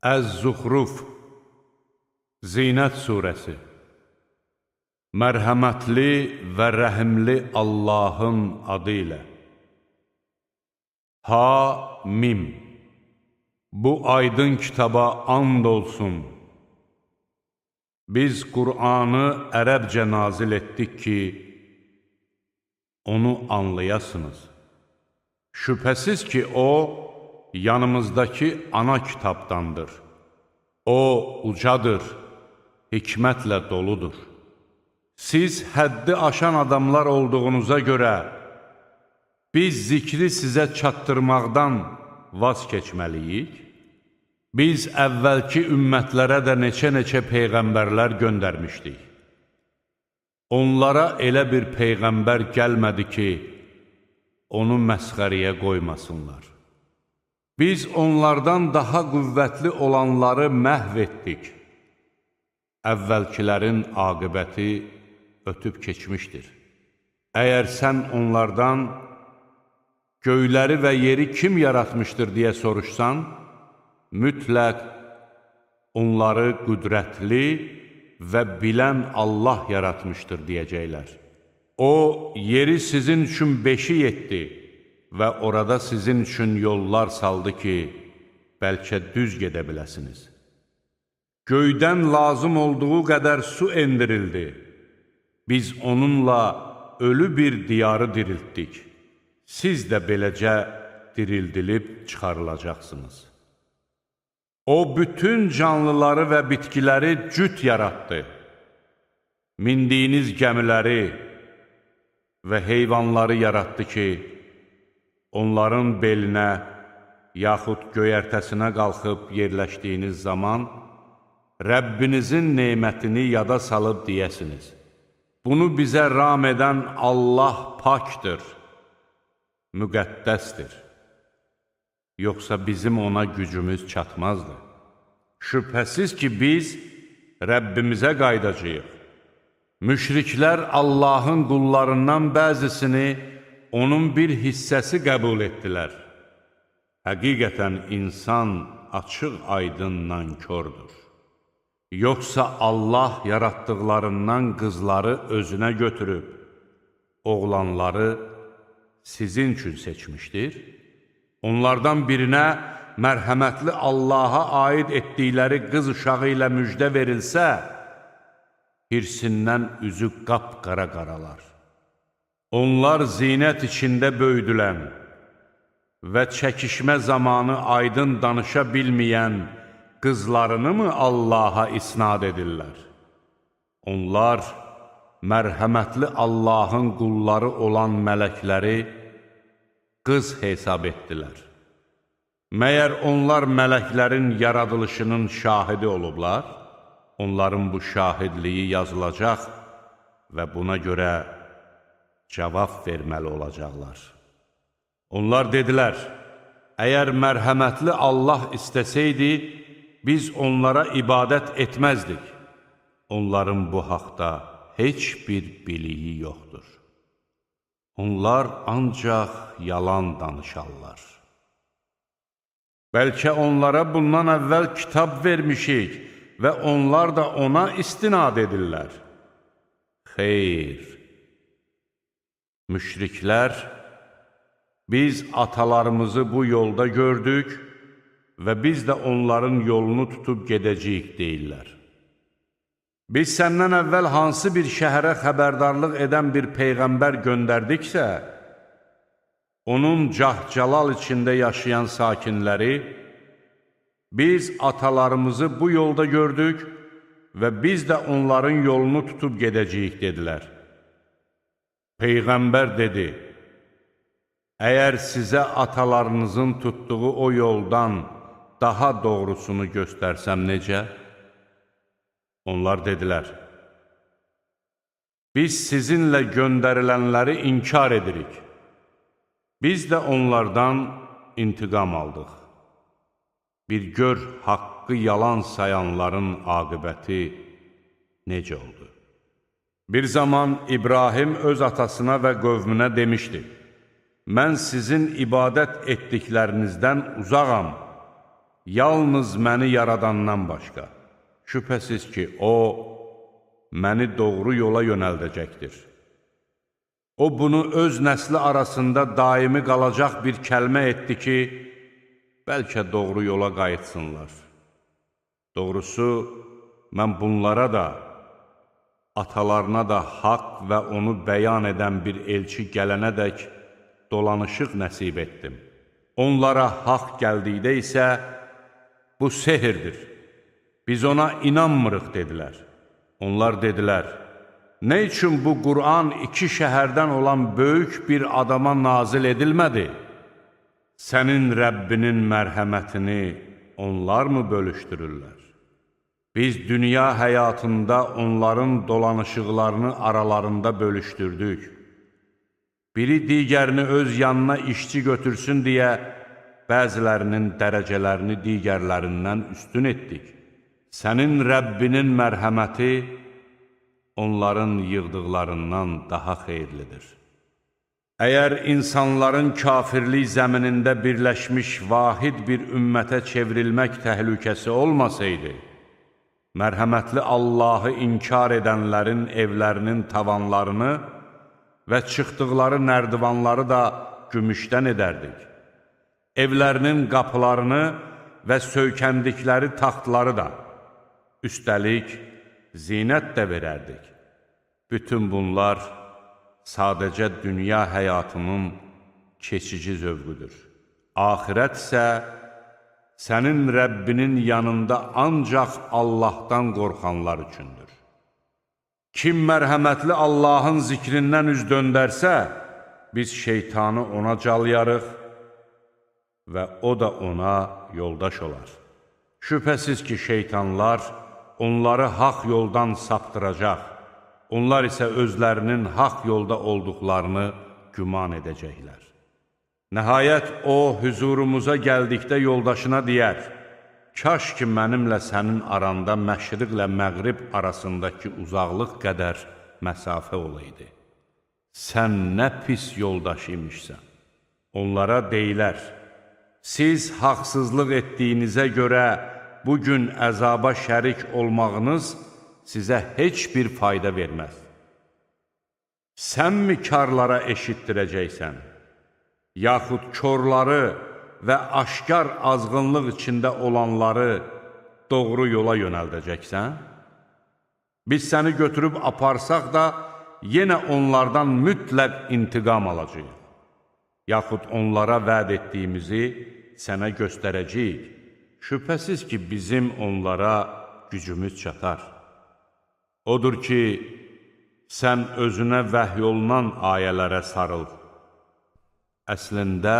Əz-Zuxruf Zinət surəsi Mərhəmətli və rəhimli Allahın adı ilə Ha-Mim Bu aydın kitaba and olsun. Biz Qur'anı ərəbcə nazil etdik ki, onu anlayasınız. Şübhəsiz ki, o, yanımızdakı ana kitabdandır. O, ucadır, hikmətlə doludur. Siz həddi aşan adamlar olduğunuza görə, biz zikri sizə çatdırmaqdan vaz keçməliyik. Biz əvvəlki ümmətlərə də neçə-neçə peyğəmbərlər göndərmişdik. Onlara elə bir peyğəmbər gəlmədi ki, onu məsxəriyə qoymasınlar. Biz onlardan daha qüvvətli olanları məhv etdik. Əvvəlkilərin aqibəti ötüb keçmişdir. Əgər sən onlardan göyləri və yeri kim yaratmışdır deyə soruşsan, mütləq onları qüdrətli və bilən Allah yaratmışdır deyəcəklər. O, yeri sizin üçün beşik etdi və orada sizin üçün yollar saldı ki, bəlkə düz gedə biləsiniz. Göydən lazım olduğu qədər su endirildi. Biz onunla ölü bir diyarı diriltdik. Siz də beləcə dirildilib çıxarılacaqsınız. O, bütün canlıları və bitkiləri cüt yaratdı. Mindiyiniz gəmiləri və heyvanları yaratdı ki, onların belinə yaxud göyərtəsinə qalxıb yerləşdiyiniz zaman Rəbbinizin nemətini yada salıb deyəsiniz. Bunu bizə ram edən Allah pakdır, müqəddəsdir. Yoxsa bizim ona gücümüz çatmazdı. Şübhəsiz ki, biz Rəbbimizə qaydacağıq. Müşriklər Allahın qullarından bəzisini onun bir hissəsi qəbul etdilər. Həqiqətən insan açıq aydın nankördür. Yoxsa Allah yaratdıqlarından qızları özünə götürüb, oğlanları sizin üçün seçmişdir. Onlardan birinə mərhəmətli Allaha aid etdikləri qız uşağı ilə müjdə verilsə, hirsindən üzü qapqara qaralar. Onlar zinət içində böyüdülən və çəkişmə zamanı aydın danışa bilməyən qızlarını mı Allaha isnad edirlər? Onlar mərhəmətli Allahın qulları olan mələkləri qız hesab etdilər. Məyər onlar mələklərin yaradılışının şahidi olublar? Onların bu şahidliyi yazılacaq və buna görə cavab verməli olacaqlar. Onlar dedilər, əgər mərhəmətli Allah istəsəydi, biz onlara ibadət etməzdik. Onların bu haqda heç bir biliyi yoxdur. Onlar ancaq yalan danışarlar. Bəlkə onlara bundan əvvəl kitab vermişik və onlar da ona istinad edirlər. Xeyr! Müşriklər, biz atalarımızı bu yolda gördük və biz də onların yolunu tutub gedəcəyik deyirlər. Biz səndən əvvəl hansı bir şəhərə xəbərdarlıq edən bir peyğəmbər göndərdiksə, onun cah-calal içində yaşayan sakinləri, biz atalarımızı bu yolda gördük və biz də onların yolunu tutub gedəcəyik dedilər. Peyğəmbər dedi, əgər sizə atalarınızın tutduğu o yoldan daha doğrusunu göstərsəm necə? Onlar dedilər, biz sizinlə göndərilənləri inkar edirik. Biz də onlardan intiqam aldıq. Bir gör haqqı yalan sayanların aqibəti necə oldu? Bir zaman İbrahim öz atasına və qövmünə demişdi, mən sizin ibadət etdiklərinizdən uzağam. yalnız məni yaradandan başqa. Şübhəsiz ki, O, məni doğru yola yönəldəcəkdir. O, bunu öz nəsli arasında daimi qalacaq bir kəlmə etdi ki, bəlkə doğru yola qayıtsınlar. Doğrusu, mən bunlara da, atalarına da haqq və onu bəyan edən bir elçi gələnədək dolanışıq nəsib etdim. Onlara haqq gəldikdə isə, bu sehirdir. Biz ona inanmırıq, dedilər. Onlar dedilər, nə üçün bu Qur'an iki şəhərdən olan böyük bir adama nazil edilmədi? Sənin Rəbbinin mərhəmətini onlar mı bölüşdürürlər? Biz dünya həyatında onların dolanışıqlarını aralarında bölüşdürdük. Biri digərini öz yanına işçi götürsün deyə, bəzilərinin dərəcələrini digərlərindən üstün etdik. Sənin Rəbbinin mərhəməti onların yığdıqlarından daha xeyirlidir. Əgər insanların kafirlik zəminində birləşmiş vahid bir ümmətə çevrilmək təhlükəsi olmasaydı, mərhəmətli Allahı inkar edənlərin evlərinin tavanlarını və çıxdıqları nərdivanları da gümüşdən edərdik. Evlərinin qapılarını və söykəndikləri taxtları da, üstəlik, zinət də verərdik. Bütün bunlar sadəcə dünya həyatının keçici zövqüdür. Axirət isə sənin Rəbbinin yanında ancaq Allahdan qorxanlar üçündür. Kim mərhəmətli Allahın zikrindən üz döndərsə, biz şeytanı ona calyarıq və o da ona yoldaş olar. Şübhəsiz ki, şeytanlar onları haqq yoldan saptıracaq, onlar isə özlərinin haqq yolda olduqlarını güman edəcəklər. Nəhayət, o, hüzurumuza gəldikdə yoldaşına deyər, kaş ki, mənimlə sənin aranda məşriqlə məğrib arasındakı uzaqlıq qədər məsafə olaydı. Sən nə pis yoldaş imişsən. Onlara deyilər, siz haqsızlıq etdiyinizə görə bugün əzaba şərik olmağınız sizə heç bir fayda verməz. Sən mi karlara eşitdirəcəksən? Yaxud körləri və aşkar azğınlıq içində olanları doğru yola yönəldəcəksən? Biz səni götürüb aparsaq da, yenə onlardan mütləq intiqam alacağıq. Yaxud onlara vəd etdiyimizi sənə göstərəcəyik. Şübhəsiz ki, bizim onlara gücümüz çatar. Odur ki, sən özünə vəhy olunan ayələrə sarıl. Əslində,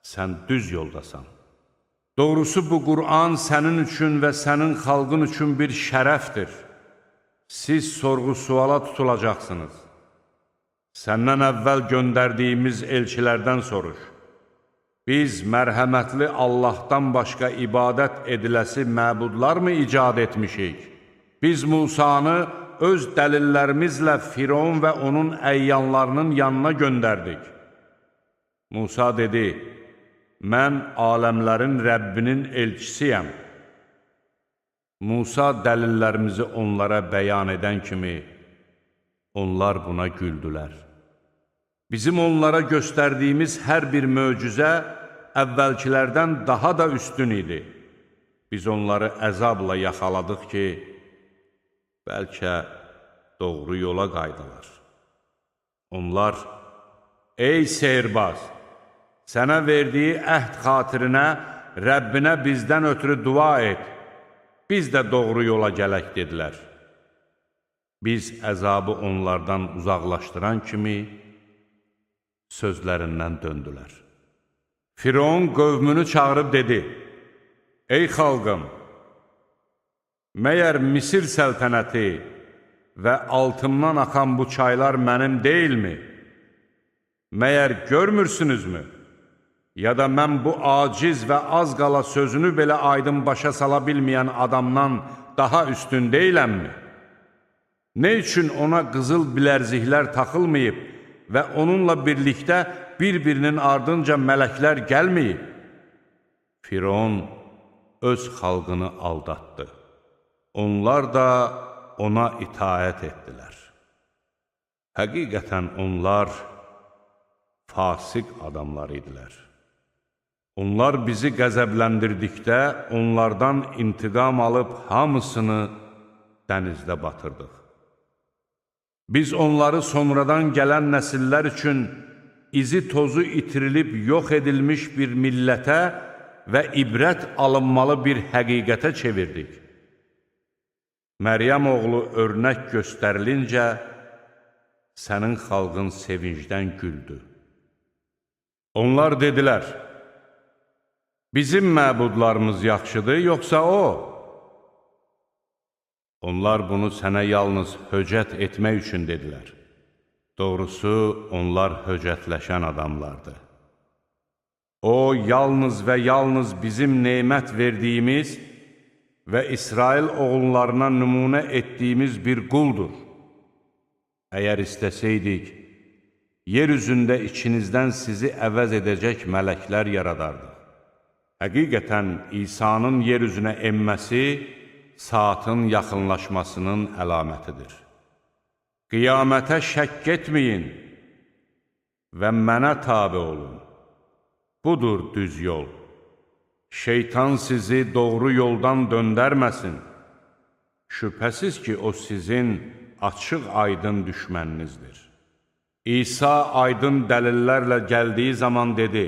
sən düz yoldasan. Doğrusu, bu Qur'an sənin üçün və sənin xalqın üçün bir şərəfdir. Siz sorğu-suala tutulacaqsınız. Səndən əvvəl göndərdiyimiz elçilərdən soruş. Biz mərhəmətli Allahdan başqa ibadət ediləsi məbudlar mı icad etmişik? Biz Musanı öz dəlillərimizlə Firon və onun əyyanlarının yanına göndərdik. Musa dedi, mən aləmlərin Rəbbinin elçisiyəm. Musa dəlillərimizi onlara bəyan edən kimi, onlar buna güldülər. Bizim onlara göstərdiyimiz hər bir möcüzə əvvəlkilərdən daha da üstün idi. Biz onları əzabla yaxaladıq ki, bəlkə doğru yola qaydılar. Onlar, ey sehirbaz, sənə verdiyi əhd xatirinə Rəbbinə bizdən ötürü dua et, biz də doğru yola gələk, dedilər. Biz əzabı onlardan uzaqlaşdıran kimi sözlərindən döndülər. Firon qövmünü çağırıb dedi, ey xalqım, məyər Misir səltənəti və altımdan axan bu çaylar mənim deyilmi? Məyər görmürsünüzmü? Ya da mən bu aciz və az qala sözünü belə aydın başa sala bilməyən adamdan daha üstün deyiləmmi? Nə üçün ona qızıl bilərziklər taxılmayıb və onunla birlikdə bir-birinin ardınca mələklər gəlməyib? Firon öz xalqını aldatdı. Onlar da ona itaət etdilər. Həqiqətən onlar fasik adamlar idilər. Onlar bizi qəzəbləndirdikdə onlardan intiqam alıb hamısını dənizdə batırdıq. Biz onları sonradan gələn nəsillər üçün izi tozu itirilib yox edilmiş bir millətə və ibrət alınmalı bir həqiqətə çevirdik. Məryəm oğlu örnək göstərilincə, sənin xalqın sevincdən güldü. Onlar dedilər, bizim məbudlarımız yaxşıdır, yoxsa o? Onlar bunu sənə yalnız höcət etmək üçün dedilər. Doğrusu, onlar höcətləşən adamlardır. O, yalnız və yalnız bizim nemət verdiyimiz və İsrail oğullarına nümunə etdiyimiz bir quldur. Əgər istəsəydik, yer üzündə içinizdən sizi əvəz edəcək mələklər yaradardıq. Həqiqətən, İsa'nın yer üzünə enməsi, saatın yaxınlaşmasının əlamətidir. Qiyamətə şəkk etməyin və mənə tabe olun. Budur düz yol. Şeytan sizi doğru yoldan döndərməsin. Şübhəsiz ki, o sizin açıq-aydın düşməninizdir. İsa aydın dəlillərlə gəldiyi zaman dedi,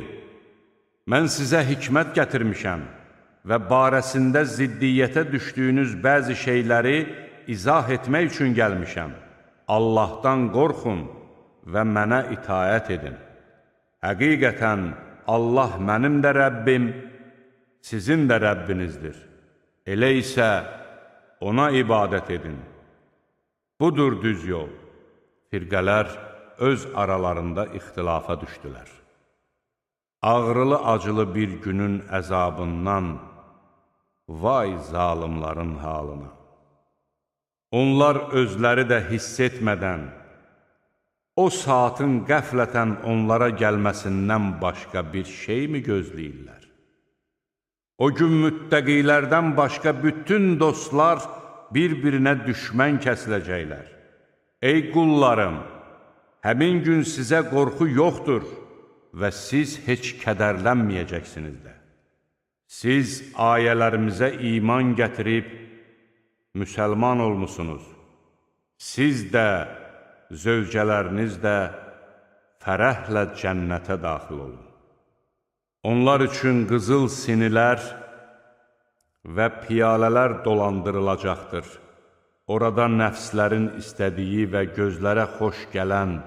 mən sizə hikmət gətirmişəm və barəsində ziddiyyətə düşdüyünüz bəzi şeyləri izah etmək üçün gəlmişəm. Allahdan qorxun və mənə itaət edin. Həqiqətən, Allah mənim də Rəbbim, sizin də Rəbbinizdir. Elə isə ona ibadət edin. Budur düz yol. Firqələr öz aralarında ixtilafa düşdülər. Ağrılı-acılı bir günün əzabından vay zalimların halına. Onlar özləri də hiss etmədən, o saatın qəflətən onlara gəlməsindən başqa bir şey mi gözləyirlər? O gün müttəqilərdən başqa bütün dostlar bir-birinə düşmən kəsiləcəklər. Ey qullarım, həmin gün sizə qorxu yoxdur və siz heç kədərlənməyəcəksiniz də. Siz ayələrimizə iman gətirib, müsəlman olmusunuz. Siz də, zövcələriniz də fərəhlə cənnətə daxil olun. Onlar üçün qızıl sinilər və piyalələr dolandırılacaqdır. Orada nəfslərin istədiyi və gözlərə xoş gələn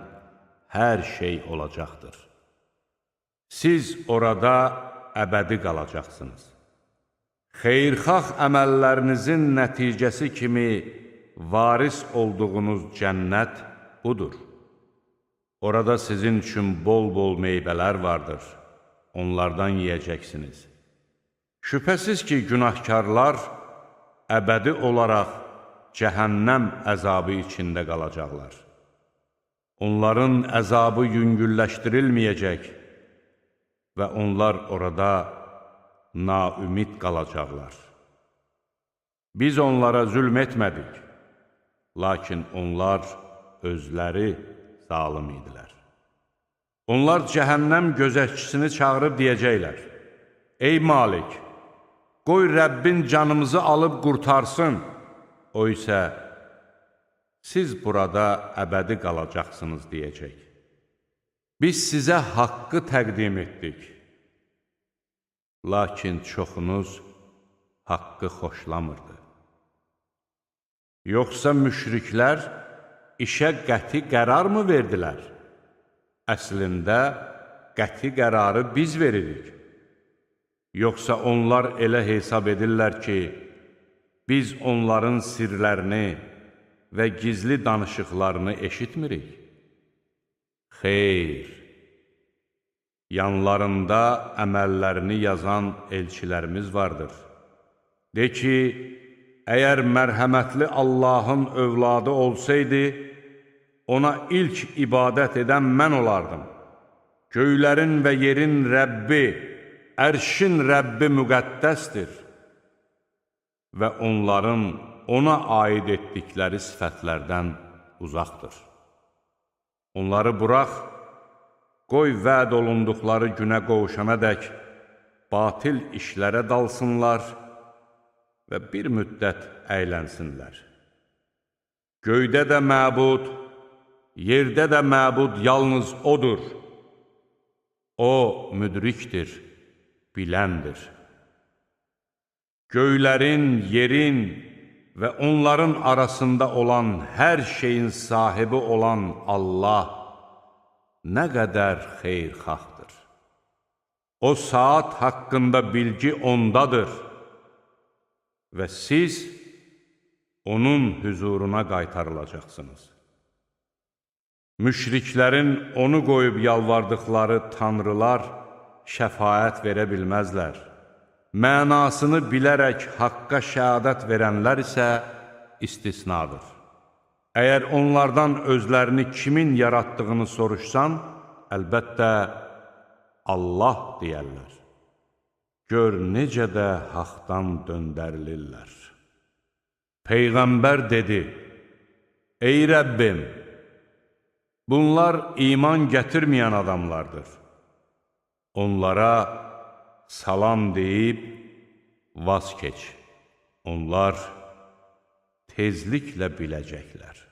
hər şey olacaqdır. Siz orada əbədi qalacaqsınız. Xeyirxah əməllərinizin nəticəsi kimi varis olduğunuz cənnət budur. Orada sizin üçün bol-bol meyvələr vardır. Onlardan yeyəcəksiniz. Şübhəsiz ki, günahkarlar əbədi olaraq cəhənnəm əzabı içində qalacaqlar. Onların əzabı yüngülləşdirilməyəcək və onlar orada naümid qalacaqlar. Biz onlara zülm etmədik, lakin onlar özləri zalim idilər. Onlar cəhənnəm gözətçisini çağırıb deyəcəklər, ey Malik, qoy Rəbbin canımızı alıb qurtarsın. O isə, siz burada əbədi qalacaqsınız deyəcək. Biz sizə haqqı təqdim etdik. Lakin çoxunuz haqqı xoşlamırdı. Yoxsa müşriklər işə qəti qərar mı verdilər? Əslində, qəti qərarı biz veririk. Yoxsa onlar elə hesab edirlər ki, biz onların sirlərini və gizli danışıqlarını eşitmirik. Xeyr, yanlarında əməllərini yazan elçilərimiz vardır. De ki, əgər mərhəmətli Allahın övladı olsaydı, ona ilk ibadət edən mən olardım. Göylərin və yerin Rəbbi, ərşin Rəbbi müqəddəsdir. və onların ona aid etdikləri sifətlərdən uzaqdır. Onları burax, qoy vəd olunduqları günə qovuşana dək batil işlərə dalsınlar və bir müddət əylənsinlər. Göydə də məbud, yerdə də məbud yalnız odur. O müdrikdir, biləndir. Göylərin, yerin və onların arasında olan hər şeyin sahibi olan Allah nə qədər xeyirxahdır. O saat haqqında bilgi ondadır və siz onun hüzuruna qaytarılacaqsınız. Müşriklərin onu qoyub yalvardıqları tanrılar şəfaət verə bilməzlər. Mənasını bilərək haqqa şəhadət verənlər isə istisnadır. Əgər onlardan özlərini kimin yaratdığını soruşsan, əlbəttə Allah deyərlər. Gör necə də haqdan döndərilirlər. Peyğəmbər dedi, ey Rəbbim, bunlar iman gətirməyən adamlardır. Onlara salam deyib vaz keç. Onlar tezliklə biləcəklər.